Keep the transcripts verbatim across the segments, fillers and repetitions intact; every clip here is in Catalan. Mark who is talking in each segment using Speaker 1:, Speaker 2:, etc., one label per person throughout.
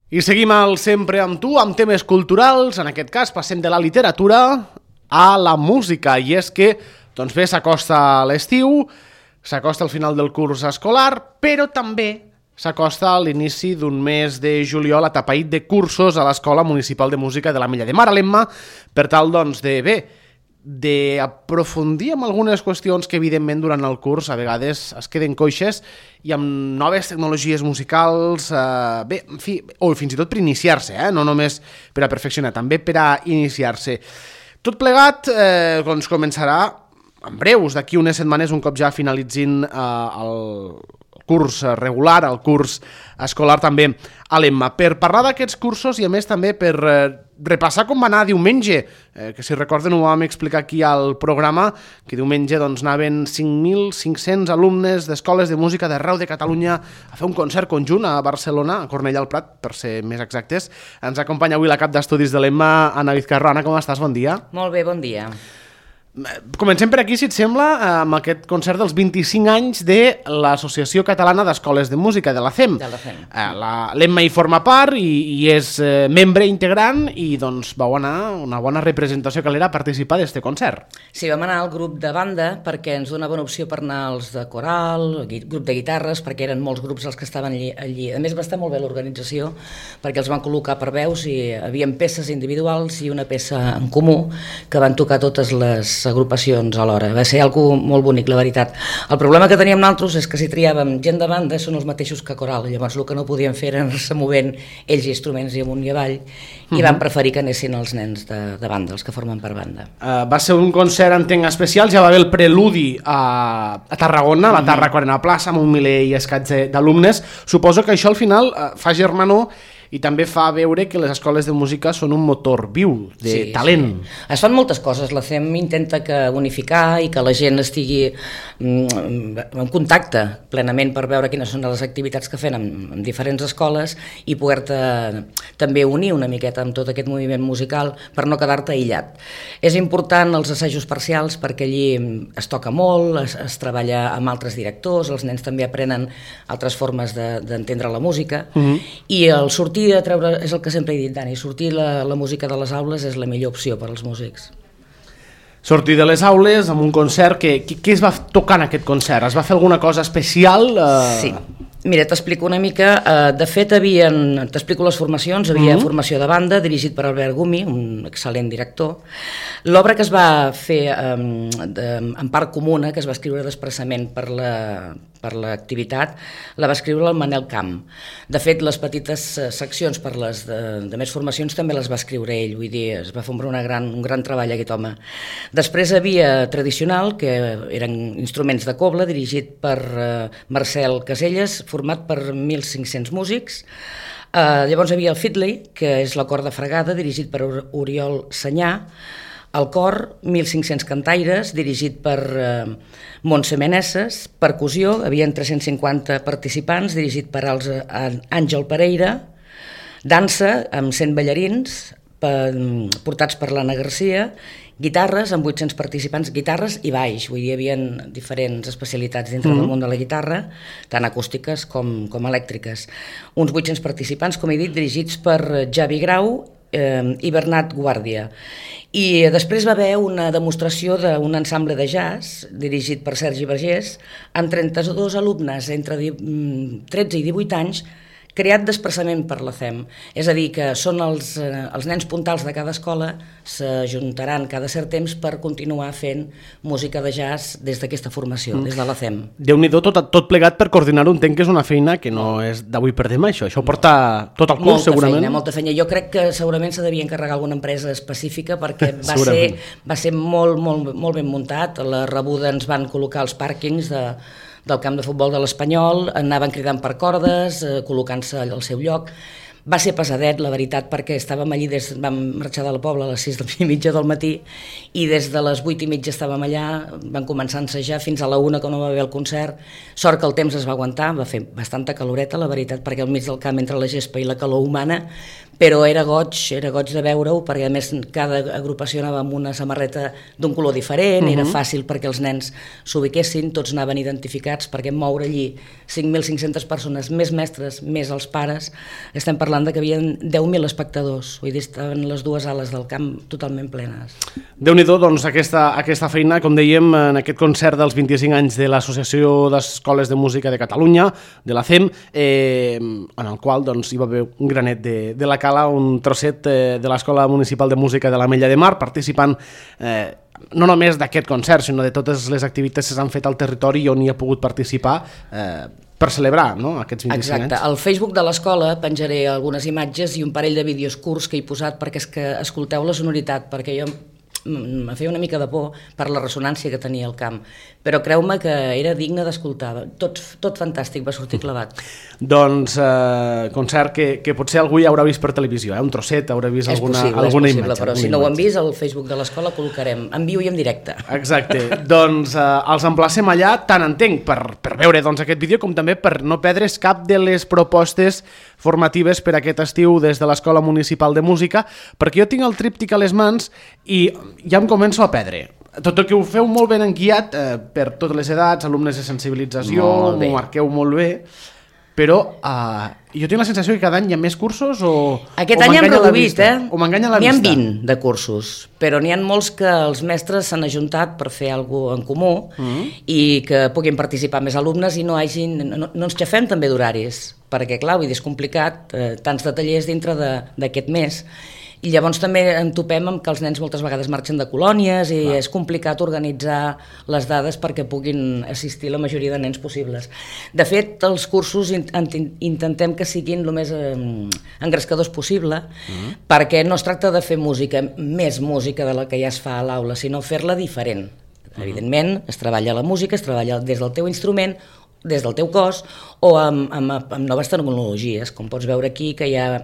Speaker 1: I seguim al Sempre amb tu, amb temes culturals. En aquest cas passem de la literatura a la música. I és que, doncs bé, s'acosta l'estiu, s'acosta el final del curs escolar, però també s'acosta a l'inici d'un mes de juliol atapeït de cursos a l'Escola Municipal de Música de l'Ametlla de Mar, a l'Emma, per tal, doncs, de bé, d'aprofundir en algunes qüestions que, evidentment, durant el curs a vegades es queden coixes i amb noves tecnologies musicals, eh, bé, en fi, o fins i tot per iniciar-se, eh? No només per a perfeccionar, també per a iniciar-se. Tot plegat eh, doncs començarà en breus, d'aquí unes setmanes, un cop ja finalitzin eh, el curs regular, el curs escolar també a l'Emma. Per parlar d'aquests cursos i a més també per eh, repassar com va anar diumenge, eh, que si recorden ho vam explicar aquí al programa, que diumenge doncs, anaven cinc mil cinc-cents alumnes d'escoles de música d'arreu de Catalunya a fer un concert conjunt a Barcelona, a Cornellà al Prat, per ser més exactes. Ens acompanya avui la cap d'estudis de l'Emma, Anna Vizcarro. Anna, com estàs? Bon dia.
Speaker 2: Molt bé, bon dia.
Speaker 1: Comencem per aquí, si et sembla, amb aquest concert dels vint-i-cinc anys de l'Associació Catalana d'Escoles de Música, de l'A C E M.
Speaker 2: De l'A C E M.
Speaker 1: L'Emma hi forma part i, i és eh, membre integrant i doncs vau anar una bona representació que l'era a participar d'este concert.
Speaker 2: Sí, vam anar al grup de banda perquè ens donava una opció per anar als de coral, grup de guitarres, perquè eren molts grups els que estaven allí. allí. A més, va estar molt bé l'organització perquè els van col·locar per veus i hi havia peces individuals i una peça en comú que van tocar totes les agrupacions alhora. Va ser algo molt bonic, la veritat. El problema que teníem nosaltres és que si triàvem gent de banda són els mateixos que coral, llavors el que no podíem fer era anar-se movent ells instruments i amunt i avall, i uh-huh. van preferir que anessin els nens de, de banda, els que formen per banda.
Speaker 1: Uh, va ser un concert, entenc, especial, ja va haver el preludi a, a Tarragona, a la Tarra Quarena Plaça, amb un miler i escaig d'alumnes. Suposo que això al final uh, fa germanor i també fa veure que les escoles de música són un motor viu de sí, talent.
Speaker 2: Sí. Es fan moltes coses, la C E M intenta que unificar i que la gent estigui en contacte plenament per veure quines són les activitats que fem en, en diferents escoles i poder-te també unir una miqueta amb tot aquest moviment musical per no quedar-te aïllat. És important els assajos parcials perquè allí es toca molt, es, es treballa amb altres directors, els nens també aprenen altres formes d'entendre de, la música uh-huh. i el sortir a treure, és el que sempre he dit, Dani, sortir la, la música de les aules és la millor opció per als músics.
Speaker 1: Sortir de les aules amb un concert, que, que, què es va tocar en aquest concert? Es va fer alguna cosa especial? Eh...
Speaker 2: Sí. Mira, t'explico una mica. De fet, havien, t'explico les formacions. Havia mm-hmm. formació de banda, dirigit per Albert Gumi, un excel·lent director. L'obra que es va fer um, de, en part comuna, que es va escriure d'expressament per la per l'activitat, la va escriure el Manel Camp. De fet, les petites seccions per les de, de més formacions també les va escriure ell, vull dir, es va fer una gran, un gran treball aquest home. Després havia tradicional, que eren instruments de cobla, dirigit per uh, Marcel Caselles, format per mil cinc-cents músics. Uh, llavors hi havia el fiddly, que és la corda fregada, dirigit per Oriol Senyà. El cor, mil cinc-cents cantaires, dirigit per eh, Montse Meneses. Percussió, hi havia tres-cents cinquanta participants, dirigit per als, eh, Àngel Pereira. Dansa, amb cent ballarins, per, portats per l'Anna Garcia. Guitarres, amb vuit-cents participants, guitarres i baix. Vull dir, hi havia diferents especialitats dintre mm-hmm. del món de la guitarra, tant acústiques com, com elèctriques. Uns vuit-cents participants, com he dit, dirigits per Javi Grau eh, i Bernat Guàrdia. I després va haver una demostració d'un ensemble de jazz dirigit per Sergi Vergés amb trenta-dos alumnes entre tretze i divuit anys, creat d'expressament per la C E M. És a dir, que són els, eh, els nens puntals de cada escola, s'ajuntaran cada cert temps per continuar fent música de jazz des d'aquesta formació, mm. des de la C E M.
Speaker 1: Déu-n'hi-do, tot, tot plegat per coordinar-ho, entenc que és una feina que no és d'avui per demà, això. Això porta tot el curs, molta segurament.
Speaker 2: Feina, molta feina. Jo crec que segurament s'ha devia encarregar alguna empresa específica perquè va ser, va ser molt, molt, molt ben muntat. A la rebuda ens van col·locar els pàrquings de del camp de futbol de l'Espanyol, anaven cridant per cordes, eh, col·locant-se al seu lloc. Va ser pesadet, la veritat, perquè estàvem allí, des, vam marxar de la Pobla a les sis i mitja del matí i des de les vuit i mitja estàvem allà, van començar a ensejar fins a la una que no va haver el concert. Sort que el temps es va aguantar, va fer bastanta caloreta, la veritat, perquè al mig del camp entre la gespa i la calor humana, però era goig, era goig de veure-ho, perquè a més cada agrupació anava amb una samarreta d'un color diferent, uh-huh. era fàcil perquè els nens s'ubiquessin, tots anaven identificats, perquè moure allí cinc mil cinc-centes persones, més mestres, més els pares, estem parlant de que hi havia deu mil espectadors, vull dir, estaven les dues ales del camp totalment plenes.
Speaker 1: Déu-n'hi-do, doncs, aquesta, aquesta feina, com dèiem, en aquest concert dels vint-i-cinc anys de l'Associació d'Escoles de Música de Catalunya, de l'A C E M, eh, en el qual doncs, hi va haver un granet de, de la cala, un trosset eh, de l'Escola Municipal de Música de l'Ametlla de Mar, participant eh, no només d'aquest concert, sinó de totes les activitats que s'han fet al territori i on hi ha pogut participar eh, per celebrar, no?, aquests vint-i-cinc anys.
Speaker 2: Exacte. Al Facebook de l'escola penjaré algunes imatges i un parell de vídeos curts que he posat perquè és que escolteu la sonoritat, perquè jo em feia una mica de por per la ressonància que tenia el camp, però creu-me que era digne d'escoltar, tot, tot fantàstic, va sortir clavat.
Speaker 1: Doncs eh, concert que, que potser algú ja haurà vist per televisió, eh? Un trosset, haurà vist
Speaker 2: és
Speaker 1: alguna,
Speaker 2: possible,
Speaker 1: alguna
Speaker 2: és possible,
Speaker 1: imatge.
Speaker 2: Però si no ho han vist, al Facebook de l'escola col·locarem en viu i en directe.
Speaker 1: Exacte, doncs eh, els emplacem allà, tant entenc per, per veure doncs, aquest vídeo com també per no perdre's cap de les propostes formatives per aquest estiu des de l'Escola Municipal de Música, perquè jo tinc el tríptic a les mans i ja em començo a perdre. Tot el que ho feu molt ben enguiat eh, per totes les edats, alumnes de sensibilització, ho marqueu molt bé, però eh, jo tinc la sensació que cada any hi ha més cursos o
Speaker 2: Aquest
Speaker 1: o
Speaker 2: any hem reduït, eh?
Speaker 1: O m'enganya la
Speaker 2: vista. N'hi ha
Speaker 1: vista.
Speaker 2: vint de cursos, però n'hi ha molts que els mestres s'han ajuntat per fer alguna cosa en comú mm. i que puguin participar més alumnes i no hagin, no, no ens xafem també d'horaris, perquè clar, vull dir, és complicat, eh, tants de tallers dintre d'aquest mes. I llavors també en topem amb que els nens moltes vegades marxen de colònies i clar. És complicat organitzar les dades perquè puguin assistir la majoria de nens possibles. De fet, els cursos intentem que siguin el més eh, engrescadors possible mm. perquè no es tracta de fer música, més música de la que ja es fa a l'aula, sinó fer-la diferent. Mm. Evidentment, es treballa la música, es treballa des del teu instrument, des del teu cos o amb, amb, amb noves tecnologies, com pots veure aquí que hi ha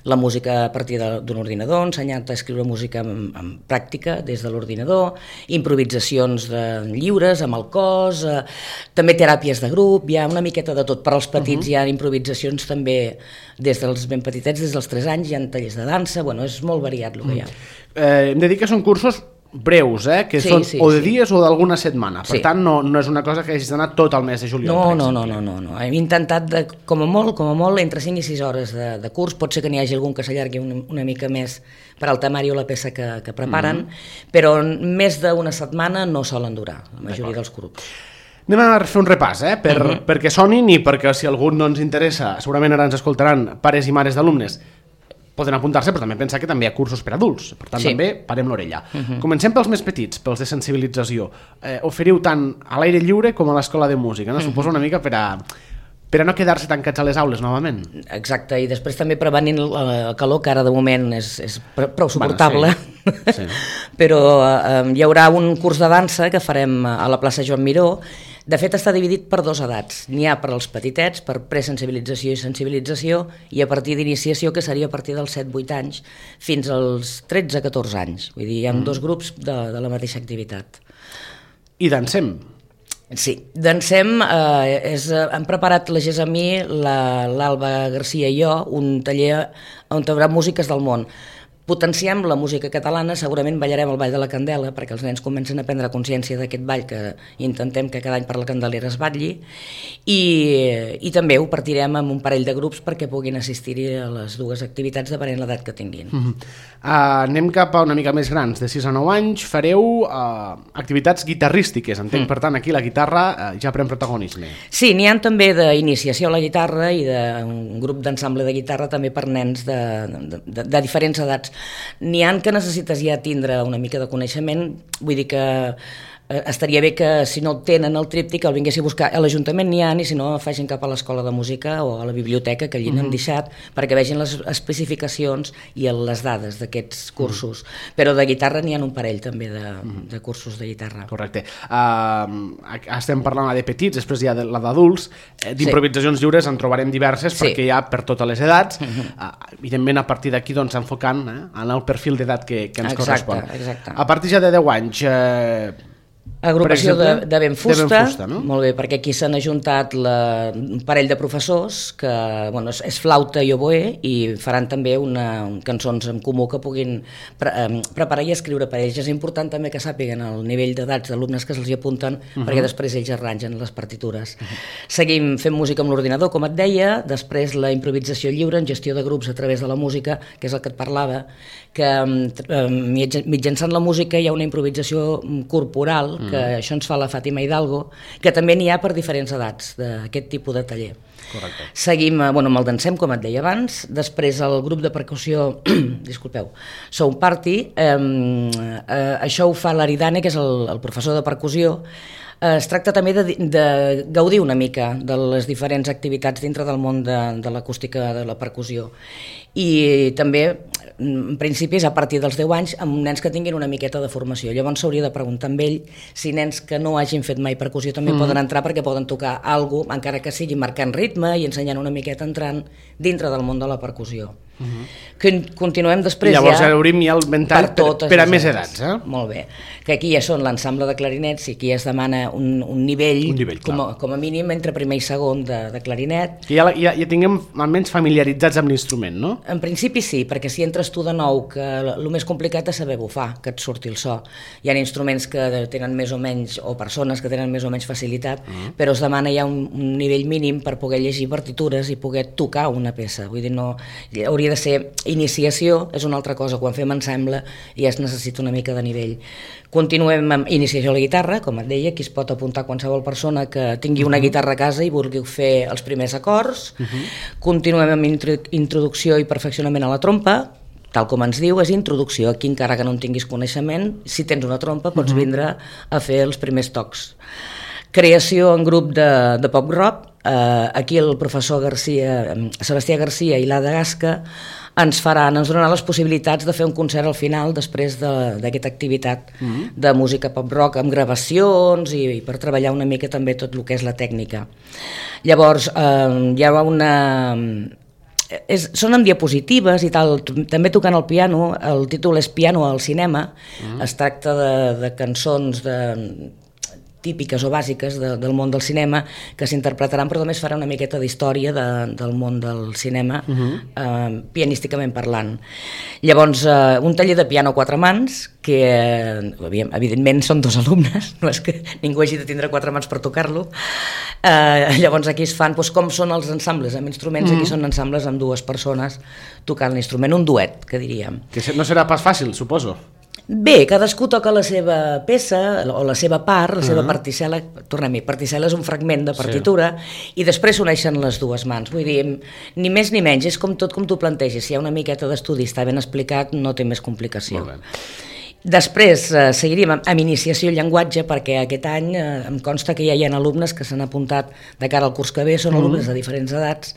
Speaker 2: la música a partir d'un ordinador, ensenyant a escriure música en, en pràctica des de l'ordinador, improvisacions de lliures amb el cos, eh, també teràpies de grup, hi ha una miqueta de tot. Per als petits uh-huh. hi ha improvisacions també des dels ben petitets, des dels tres anys, hi ha tallers de dansa, bueno, és molt variat el que hi ha.
Speaker 1: Eh, hem de dir que són cursos breus, eh? Que sí, són sí, o de sí. dies o d'alguna setmana. Per sí. tant, no, no és una cosa que hagis d'anar tot el mes de juliol.
Speaker 2: No, no, no, no, no, no. Hem intentat, de, com a molt, com a molt, entre cinc i sis hores de, de curs. Pot ser que n'hi hagi algun que s'allargui una, una mica més per al temari o la peça que, que preparen, mm-hmm. però més d'una setmana no solen durar, la majoria dels grups.
Speaker 1: Anem a fer un repàs, eh? Per, mm-hmm. perquè sonin i perquè si algú no ens interessa, segurament ara ens escoltaran pares i mares d'alumnes, poden apuntar-se, però també pensar que també hi ha cursos per adults, per tant sí. també parem l'orella. Uh-huh. Comencem pels més petits, pels de sensibilització. Eh, oferiu tant a l'aire lliure com a l'escola de música, no? Uh-huh. Suposo una mica per a, per a no quedar-se tancats a les aules novament.
Speaker 2: Exacte, i després també prevenint el calor, que ara de moment és, és prou suportable, bueno, sí. Sí. però eh, hi haurà un curs de dansa que farem a la plaça Joan Miró. De fet, està dividit per dos edats. N'hi ha per als petitets, per presensibilització i sensibilització, i a partir d'iniciació, que seria a partir dels set vuit anys, fins als tretze catorze anys. Vull dir, hi ha mm. dos grups de, de la mateixa activitat.
Speaker 1: I dansem?
Speaker 2: Sí, dansem. Eh, és, hem preparat la Gesamí, l'Alba Garcia i jo, un taller on hi haurà músiques del món. Potenciem la música catalana, segurament ballarem el Ball de la Candela, perquè els nens comencen a prendre consciència d'aquest ball que intentem que cada any per la Candelera es batlli, i, i també ho partirem amb un parell de grups perquè puguin assistir-hi a les dues activitats depenent l'edat que tinguin. Uh-huh. uh, anem cap a una mica més grans, de sis a nou anys, fareu uh, activitats guitarrístiques, entenc, mm. per tant aquí la guitarra uh, ja pren protagonisme. Sí, n'hi ha també d'iniciació a la guitarra i d'un grup d'ensemble de guitarra també per nens de, de, de, de diferents edats. N'hi ha que necessites ja tindre una mica de coneixement, vull dir que eh, estaria bé que si no tenen el tríptic el vinguessi a buscar. A l'Ajuntament n'hi ha, i si no facin cap a l'escola de música o a la biblioteca que allí n'han mm-hmm. deixat perquè vegin les especificacions i les dades d'aquests cursos. Mm-hmm. Però de guitarra n'hi ha un parell també de, mm-hmm. de cursos de guitarra.
Speaker 1: Correcte. Uh, estem parlant de petits, després hi ha de, la d'adults. Eh, d'improvisacions sí. lliures en trobarem diverses sí. perquè hi ha per totes les edats. Mm-hmm. Uh, evidentment, a partir d'aquí doncs, enfocant eh, en el perfil d'edat que, que ens
Speaker 2: exacte,
Speaker 1: correspon.
Speaker 2: Exacte.
Speaker 1: A partir ja de deu anys... Eh,
Speaker 2: Agrupació
Speaker 1: exemple,
Speaker 2: de, de Ben Fusta,
Speaker 1: de Ben Fusta, no?
Speaker 2: Molt bé, perquè aquí s'han ajuntat la, un parell de professors que bueno, és, és flauta i oboè i faran també una, un, cançons en comú que puguin pre, eh, preparar i escriure per ells. És important també que sàpiguen el nivell d'edats d'alumnes que se'ls hi apunten, uh -huh. perquè després ells arrangen les partitures. Uh -huh. Seguim fent música amb l'ordinador, com et deia, després la improvisació lliure en gestió de grups a través de la música, que és el que et parlava, que eh, mitjançant la música hi ha una improvisació corporal, que mm. això ens fa la Fàtima Hidalgo, que també n'hi ha per diferents edats d'aquest tipus de taller.
Speaker 1: Correcte.
Speaker 2: Seguim bueno, amb el Dansem, com et deia abans, després el grup de percussió, disculpeu, Sound Party, eh, eh, això ho fa l'Aridane, que és el, el professor de percussió. Es tracta també de, de gaudir una mica de les diferents activitats dintre del món de, de l'acústica de la percussió. I també, en principi, és a partir dels deu anys amb nens que tinguin una miqueta de formació. Llavors s'hauria de preguntar amb ell si nens que no hagin fet mai percussió també mm. poden entrar, perquè poden tocar alguna cosa, encara que sigui marcant ritme i ensenyant una miqueta entrant dintre del món de la percussió. Mm-hmm. Que continuem després.
Speaker 1: I llavors
Speaker 2: ja,
Speaker 1: ja obrim ja el ventall per, per, per a més edats. Eh?
Speaker 2: Molt bé. Que aquí ja són l'ensemble de clarinets i aquí es demana un, un nivell,
Speaker 1: un nivell
Speaker 2: com, a, com a mínim entre primer i segon de, de clarinet.
Speaker 1: Que ja, ja, ja tinguem almenys familiaritzats amb l'instrument, no?
Speaker 2: En principi sí, perquè si entres tu de nou, que el més complicat és saber bufar, que et surti el so. Hi ha instruments que tenen més o menys, o persones que tenen més o menys facilitat, uh-huh. però es demana ja un, un nivell mínim per poder llegir partitures i poder tocar una peça. Vull dir, no, hauria de ser iniciació, és una altra cosa. Quan fem ensemble ja es necessita una mica de nivell. Continuem amb iniciació a la guitarra, com et deia, aquí es pot apuntar qualsevol persona que tingui una guitarra a casa i vulgui fer els primers acords. Uh-huh. Continuem amb introducció i perfeccionament a la trompa, tal com ens diu, és introducció. Aquí, encara que no en tinguis coneixement, si tens una trompa pots uh-huh. vindre a fer els primers tocs. Creació en grup de, de pop rock. Uh, aquí el professor Garcia, Sebastià Garcia i l'Ada Gasca ens faran, ens donaran les possibilitats de fer un concert al final després d'aquesta activitat mm-hmm. de música pop rock amb gravacions i, i per treballar una mica també tot el que és la tècnica. Llavors eh, hi ha una... És, són amb diapositives i tal, també tocant el piano, el títol és Piano al cinema, mm-hmm. es tracta de, de cançons de típiques o bàsiques de, del món del cinema que s'interpretaran, però també es farà una miqueta d'història de, del món del cinema uh-huh. eh, pianísticament parlant. Llavors, eh, un taller de piano a quatre mans que, eh, evidentment, són dos alumnes, no és que ningú hagi de tindre quatre mans per tocar-lo. Eh, llavors aquí es fan doncs, com són els ensembles amb instruments, uh-huh. aquí són ensembles amb dues persones tocant l'instrument, un duet, que diríem.
Speaker 1: Que no serà pas fàcil, suposo.
Speaker 2: Bé, cadascú toca la seva peça o la seva part, la seva uh-huh. particel·la, tornem-hi, particel·la és un fragment de partitura sí. i després s'uneixen les dues mans, vull dir, ni més ni menys, és com tot com tu plantegis, si hi ha una miqueta d'estudi, està ben explicat, no té més complicació. Molt bé. Després eh, seguiríem amb, amb iniciació al llenguatge, perquè aquest any eh, em consta que ja hi ha alumnes que s'han apuntat de cara al curs que ve, són uh-huh. alumnes de diferents edats,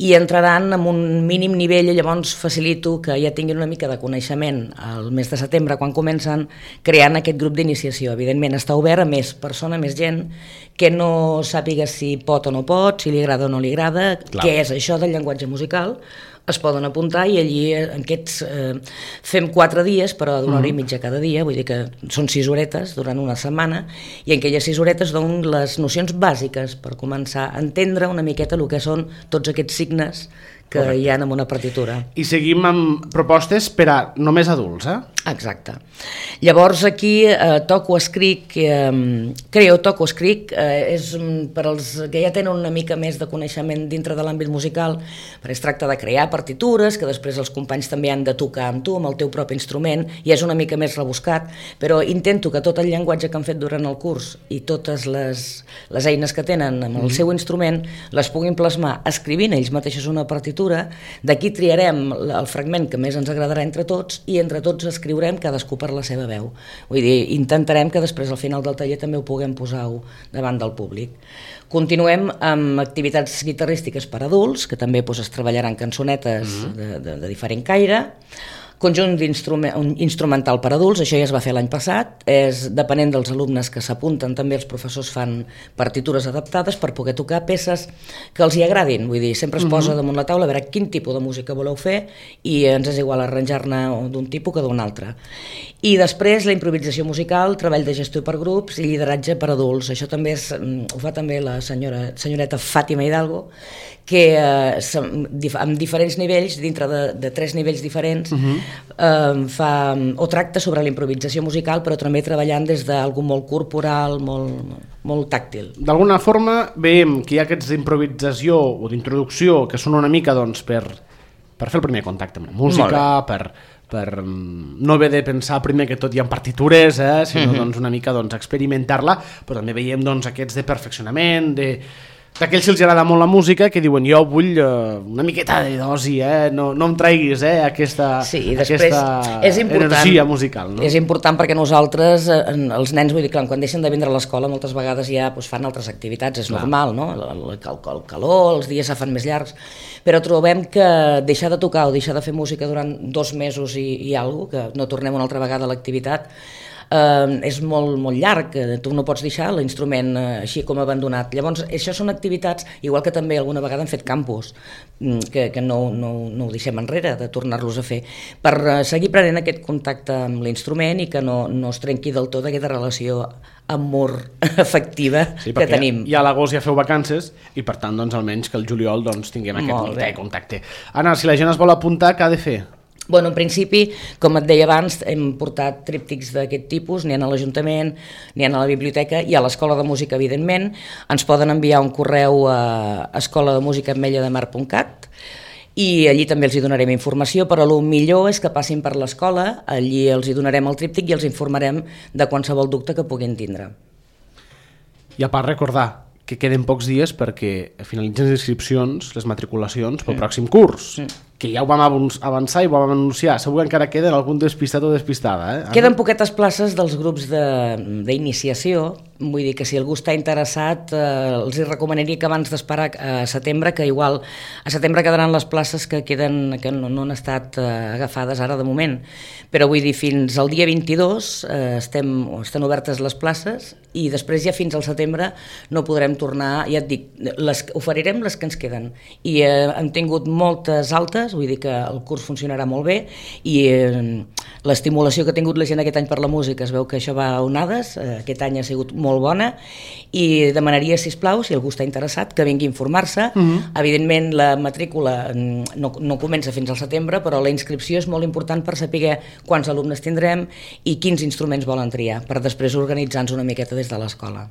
Speaker 2: i entraran amb un mínim nivell, i llavors facilito que ja tinguin una mica de coneixement al mes de setembre, quan comencen, creant aquest grup d'iniciació. Evidentment està obert a més persona, més gent, que no sàpiga si pot o no pot, si li agrada o no li agrada, Clar. Què és això del llenguatge musical, es poden apuntar i allí en aquests eh, fem quatre dies, però d'una hora i mitja cada dia, vull dir que són sis horetes durant una setmana, i en aquelles sis horetes donen les nocions bàsiques per començar a entendre una miqueta el que són tots aquests signes que Correcte. Hi ha en una partitura.
Speaker 1: I seguim amb propostes per a només adults, eh?
Speaker 2: Exacte. Llavors aquí eh, toco, escric, eh, creo, toco, escric, eh, és per als que ja tenen una mica més de coneixement dintre de l'àmbit musical, perquè es tracta de crear partitures, que després els companys també han de tocar amb tu, amb el teu propi instrument, i és una mica més rebuscat, però intento que tot el llenguatge que han fet durant el curs i totes les, les eines que tenen amb el seu instrument les puguin plasmar escrivint ells mateixos una partitura. D'aquí triarem el fragment que més ens agradarà entre tots i entre tots escriurem cadascú per la seva veu. Vull dir, intentarem que després al final del taller també ho puguem posar davant del públic. Continuem amb activitats guitarrístiques per adults, que també doncs, es treballaran cançonetes mm-hmm. de, de, de diferent caire. conjunt instrumental per adults, això ja es va fer l'any passat, és depenent dels alumnes que s'apunten, també els professors fan partitures adaptades per poder tocar peces que els hi agradin, vull dir, sempre es posa uh-huh. damunt la taula a veure quin tipus de música voleu fer i ens és igual arranjar-ne d'un tipus que d'un altre. I després la improvisació musical, treball de gestió per grups i lideratge per adults, això també és, ho fa també la senyora, senyoreta Fàtima Hidalgo, que eh, amb diferents nivells, dintre de, de tres nivells diferents, uh-huh. eh, fa, o tracta sobre la improvisació musical, però també treballant des d'algú molt corporal, molt, molt tàctil. D'alguna
Speaker 1: forma veiem que hi ha aquests d'improvisació o d'introducció que són una mica doncs, per, per fer el primer contacte amb la música, per, per no haver de pensar primer que tot hi ha partitures, eh, sinó uh-huh. doncs, una mica doncs, experimentar-la, però també veiem doncs, aquests de perfeccionament, de d'aquells que els agrada molt la música, que diuen jo vull uh, una miqueta de dosi, eh? no, no em traguis eh, aquesta,
Speaker 2: sí, aquesta és
Speaker 1: energia musical. No?
Speaker 2: És important perquè nosaltres, els nens, vull dir, clar, quan deixen de vindre a l'escola moltes vegades ja doncs, fan altres activitats, és clar. Normal, no? El, el, el calor, els dies se fan més llargs, però trobem que deixar de tocar o deixar de fer música durant dos mesos i, i alguna cosa, que no tornem una altra vegada a l'activitat, Uh, és molt, molt llarg, tu no pots deixar l'instrument uh, així com abandonat. Llavors, això són activitats, igual que també alguna vegada hem fet campus, que, que no, no, no ho deixem enrere, de tornar-los a fer, per uh, seguir prenent aquest contacte amb l'instrument i que no, no es trenqui del tot aquesta relació amor afectiva sí, que tenim.
Speaker 1: Ja a l'agost ja feu vacances i per tant doncs, almenys que el juliol doncs, tinguem aquest contacte. Anna, si la gent es vol apuntar, què ha de fer?
Speaker 2: Bueno, en principi, com et deia abans, hem portat tríptics d'aquest tipus, n'hi ha a l'Ajuntament, n'hi ha a la biblioteca i a l'Escola de Música, evidentment. Ens poden enviar un correu a escola de música ametlla de mar punt cat i allí també els hi donarem informació, però el millor és que passin per l'escola, allí els hi donarem el tríptic i els informarem de qualsevol dubte que puguin tindre.
Speaker 1: I a part recordar que queden pocs dies perquè finalitzen les inscripcions, les matriculacions pel mm. pròxim curs. Mm. Que ja ho vam avançar i ho vam anunciar. Segur que encara queden algun despistat o despistada. Eh?
Speaker 2: Queden poquetes places dels grups d'iniciació. Vull dir que si algú està interessat, eh, els recomanaria que abans d'esperar a setembre, que igual a setembre quedaran les places que queden que no, no han estat eh, agafades ara de moment. Però vull dir, fins al dia vint-i-dos eh, estem, estan obertes les places i després ja fins al setembre no podrem tornar, ja et dic, les, oferirem les que ens queden. I eh, hem tingut moltes altes, vull dir que el curs funcionarà molt bé i eh, l'estimulació que ha tingut la gent aquest any per la música es veu que això va a onades, eh, aquest any ha sigut molt bona i demanaria, sisplau, si algú està interessat, que vingui a informar-se. Uh-huh. Evidentment la matrícula no, no comença fins al setembre, però la inscripció és molt important per saber quants alumnes tindrem i quins instruments volen triar, per després organitzar-nos una miqueta des de l'escola.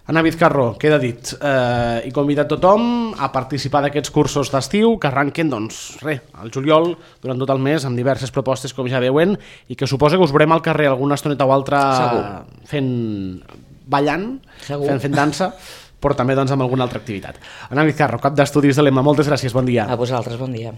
Speaker 1: Anna Vizcarro, queda dit, eh, i convidat tothom a participar d'aquests cursos d'estiu que arranquen, doncs, res, al juliol, durant tot el mes, amb diverses propostes, com ja veuen, i que suposa que us veurem al carrer alguna estoneta o altra Segur. fent, ballant, Segur. fent, fent dansa, però també doncs, amb alguna altra activitat. Anna Vizcarro, cap d'estudis de l'E M A, moltes gràcies, bon dia.
Speaker 2: A vosaltres, bon dia.